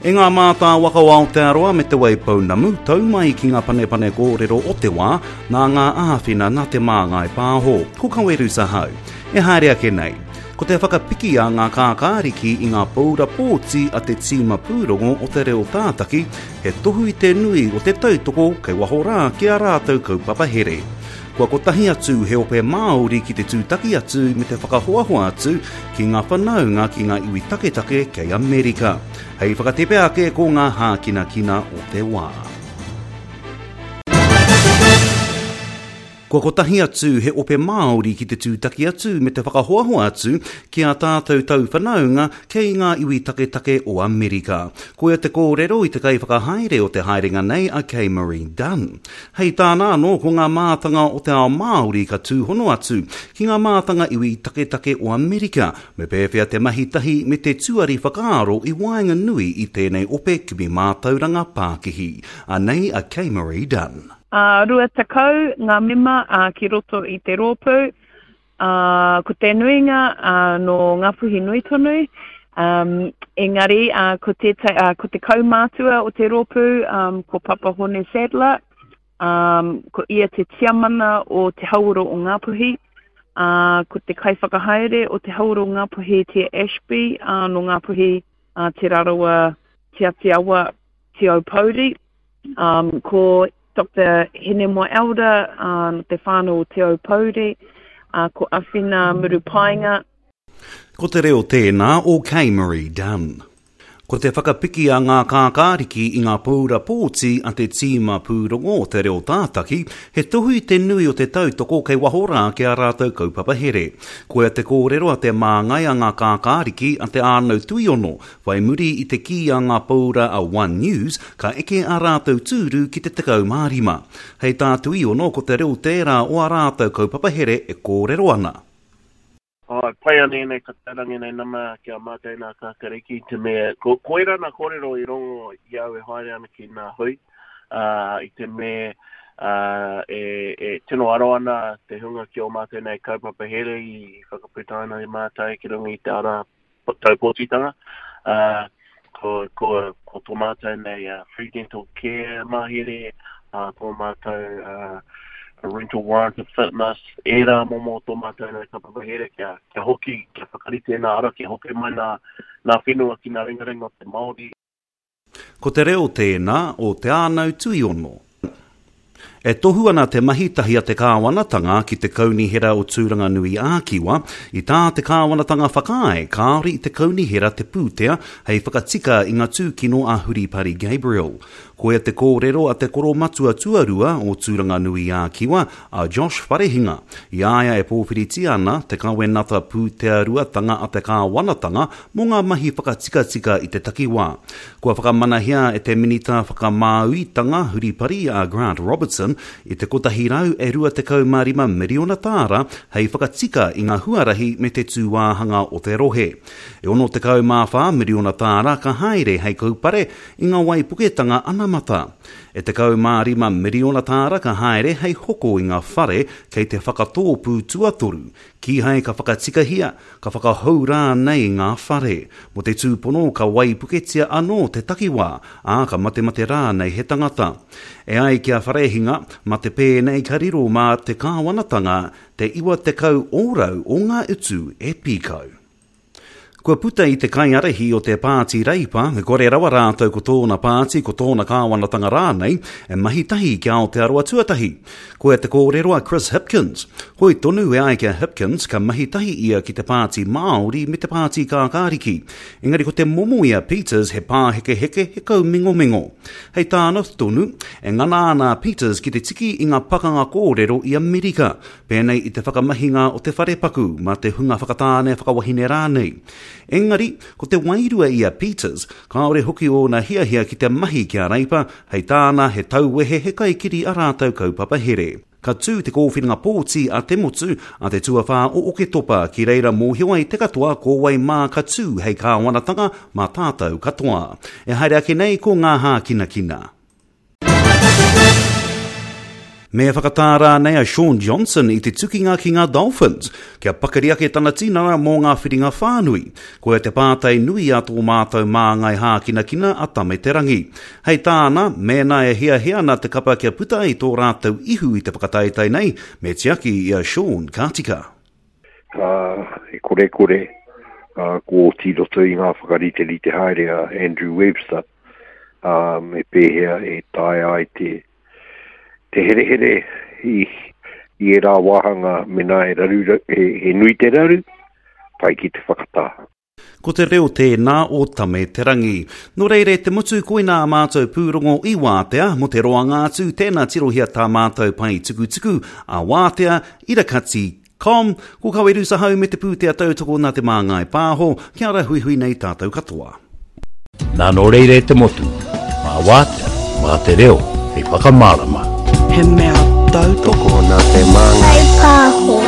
E ngā mātāwaka o Aotearoa me Te Waipounamu, tau mai ki ngā panepane kōrero o te wā, nā ngā āwhina nā Te Māngai Pāho, ko Kaweru Sahau. E haere ake nei. Ko te whakapiki a ngā kākāriki i ngā paura pōti a te tīma pūrongo o te reo tātaki, he tohu i te nui o te tautoko kei waho rā ki ā rātou kaupapa here. Kua kotahi atu he ope Māori ki te tūtaki atu me te whakahoahoa atu ki ngā whanaunga ki ngā iwi taketake kei Amerika. Hei whakatepe ake ko ngā hākinakina o te wā. Kua kotahi atu he ope Māori ki te tūtaki atu me te whakahoahoa atu ki ā tātou tauwhanaunga kei ngā iwi taketake o Amerika. Koia te kōrero i te kaiwhakahaere o te haerenga nei a Kay Marie Dunn. Hei tāna anō ko ngā mātanga o te ao Māori ka tūhono atu ki ngā mātanga iwi taketake o Amerika me pēwhea te mahi tahi me te tuari whakaaro i waenganui i tēnei ope kimi mātauranga pākihi. Anei a Kay Marie Dunn. Ā, 20 ngā mema ki roto i te rōpū, ā, ko te nuinga nō Ngāpuhi nui tonu, engari ko tētahi, ā, ko te kaumātua o te rōpū, ko Papa Hone Sadler, ā, ko ia te tiamana o Te Hauora o Ngāpuhi, ā, ko te kaiwhakahaere o Te Hauora o Ngāpuhi, Tia Ashby, ā, nō Ngāpuhi, ā, Te Rarawa, Te Atiawa, Te Aupōuri. Um, ko Doctor Hinemoa Elder, uh, no te whānau o Te Aupōuri, uh, ko Awhina Murupaenga. Ko te reo tēnā o Kay Marie Dunn. Ko te whakapiki a ngā kākāriki i ngā paura pōti a te tīma pūrongo o te reo tātaki, he tohu i te nui o te tautoko kei waho rā ki ā rātou kaupapa here. Koia te kōrero a te māngai a ngā kākāriki a Te Ānau Tuiono, Whai muri i te kī a ngā paura a One News, ka eke ā rātou tūru ki te 15. Hei tā Tuiono ko te reo tērā o ā rātou kaupapa here e kōrero ana. Āe, pai ana ēnei katarangi nei nama ki a mātou nā Kākariki i te mea, ko, koirā nā kōrero i rongo i au e haere ana ki nā hui, ā, i te mea, ā, e, e tino aro ana te hunga ki ō mātou nei kaupapa here i whakaputaina e mātou ki runga i te ara tau pōtitanga, ā, ko, ko, ko tō mātou nei uh, free dental care mahere, ā, tō mātou uh, rental warrant of fitness, ērā momo tō mātou nei kaupapa here kia, kia hoki, kia whakarite nā ara, kia hoki mai nā, nā whenua ki nā ringaringa o te Māori. Ko te reo tēnā o Te Ānau Tuiono. E tohu ana te mahi tahi a te kāwanatanga ki te Kaunihera o Tūranganui-ā-Kiwa i tā te kāwanatanga whakaae kāore i te kaunihera te pūtea hei whakatika i ngā tūkino a Huripari Gabriel. Koia te kōrero a te koromatua tuarua o Tūranganui-ā-Kiwa, a Josh Wharehinga, i a ia e pōwhiritia ana te kawenata pūtearuatanga a te kāwanatanga mō ngā mahi whakatikatika i te takiwā. Kua whakamanahia e te Minita Whakamāuitanga Huripari a Grant Robertson i te 125 miriona tāra hei whakatika i ngā huarahi me te tūāhanga o te rohe. E 64 miriona tāra ka haere hei kaupare i ngā waipuketanga anamata. E 15 miriona tāra ka haere hei hoko i ngā whare kei te whakatōpū tuatoru, kīhai ka whakatikahia, ka whakahou rānei ngā whare. Mō te tūpono ka waipuketia anō te takiwā, ā, ka matemate rānei he tangata. E ai ki a Wharehinga, mā te pēnei ka riro mā te kāwanatanga te 90 ōrau o ngā utu e pīkau. Kua puta i te kaiārahi o te Pāti Reipa, e kore rawa rātou ko tōna pāti, ko tōna kāwanatanga rānei, e mahi tahi ki Aotearoa Tuatahi. Koia te kōrero a Chris Hipkins. Hoi tonu e ai ki a Hipkins, ka mahi tahi ia ki te Pāti Māori me te Pāti Kākāriki. Engari ko te momo i a Peters he pāhekeheke, he kaumingomingo. Hei tāna tonu, e ngana ana a Peters ki te tiki i ngā pakanga kōrero i Amerika, pēnei i te whakamahinga o te wharepaku mā te hunga whakatāne whakawahine rānei. Engari, ko te wairua i a Peters, kāore hoki ōna hiahia ki te mahi ki a Reipa, hei tāna he tauwehe he kaikiri a rātou kaupapa here. Ka tū te kōwhiringa pōti a te motu a te tuawhā o Oketopa ki reira mōhio ai te katoa ko wai mā ka tū hei kāwanatanga mā tātou katoa. E haere ake nei ko ngā hākinakina. Me whakatā rānei a Shaun Johnson i te tukinga ki ngā Dolphins, kia pakari ake tana tinana mō ngā whiringa whānui? Koia te pātai nui a tō mātou māngai hākinakina a Tame Te Rangi. Hei tāna, mēnā e hiahia ana te kapa kia puta ai tō rātou ihu i te whakataetae nei, me tiaki i a Shaun ka tika. Ā, e korekore, ā, kua oti i roto i ngā whakariterite haere a Andrew Webster, ā, me pēhea e taea ai te, te herehere i, i ērā wāhanga mēnā e raru, he, he nui te raru, pai ki te whakatā. Ko te reo tēnā o Tame Te Rangi. Nō reira e te motu koinā ā mātou pūrongo i wātea, mō te roanga atu, tēnā tirohia tā mātou pae tukutuku a Wātea, Irakati, com, ko Kawerusa Hau me te pūtea tautoko nā Te Māngai Pāho, kia ora huihui nei tātou katoa. Nā nō reira e te motu, mā Wātea, mā te reo hei whakamārama. He mea tautoko nā Te Māngai Pāho.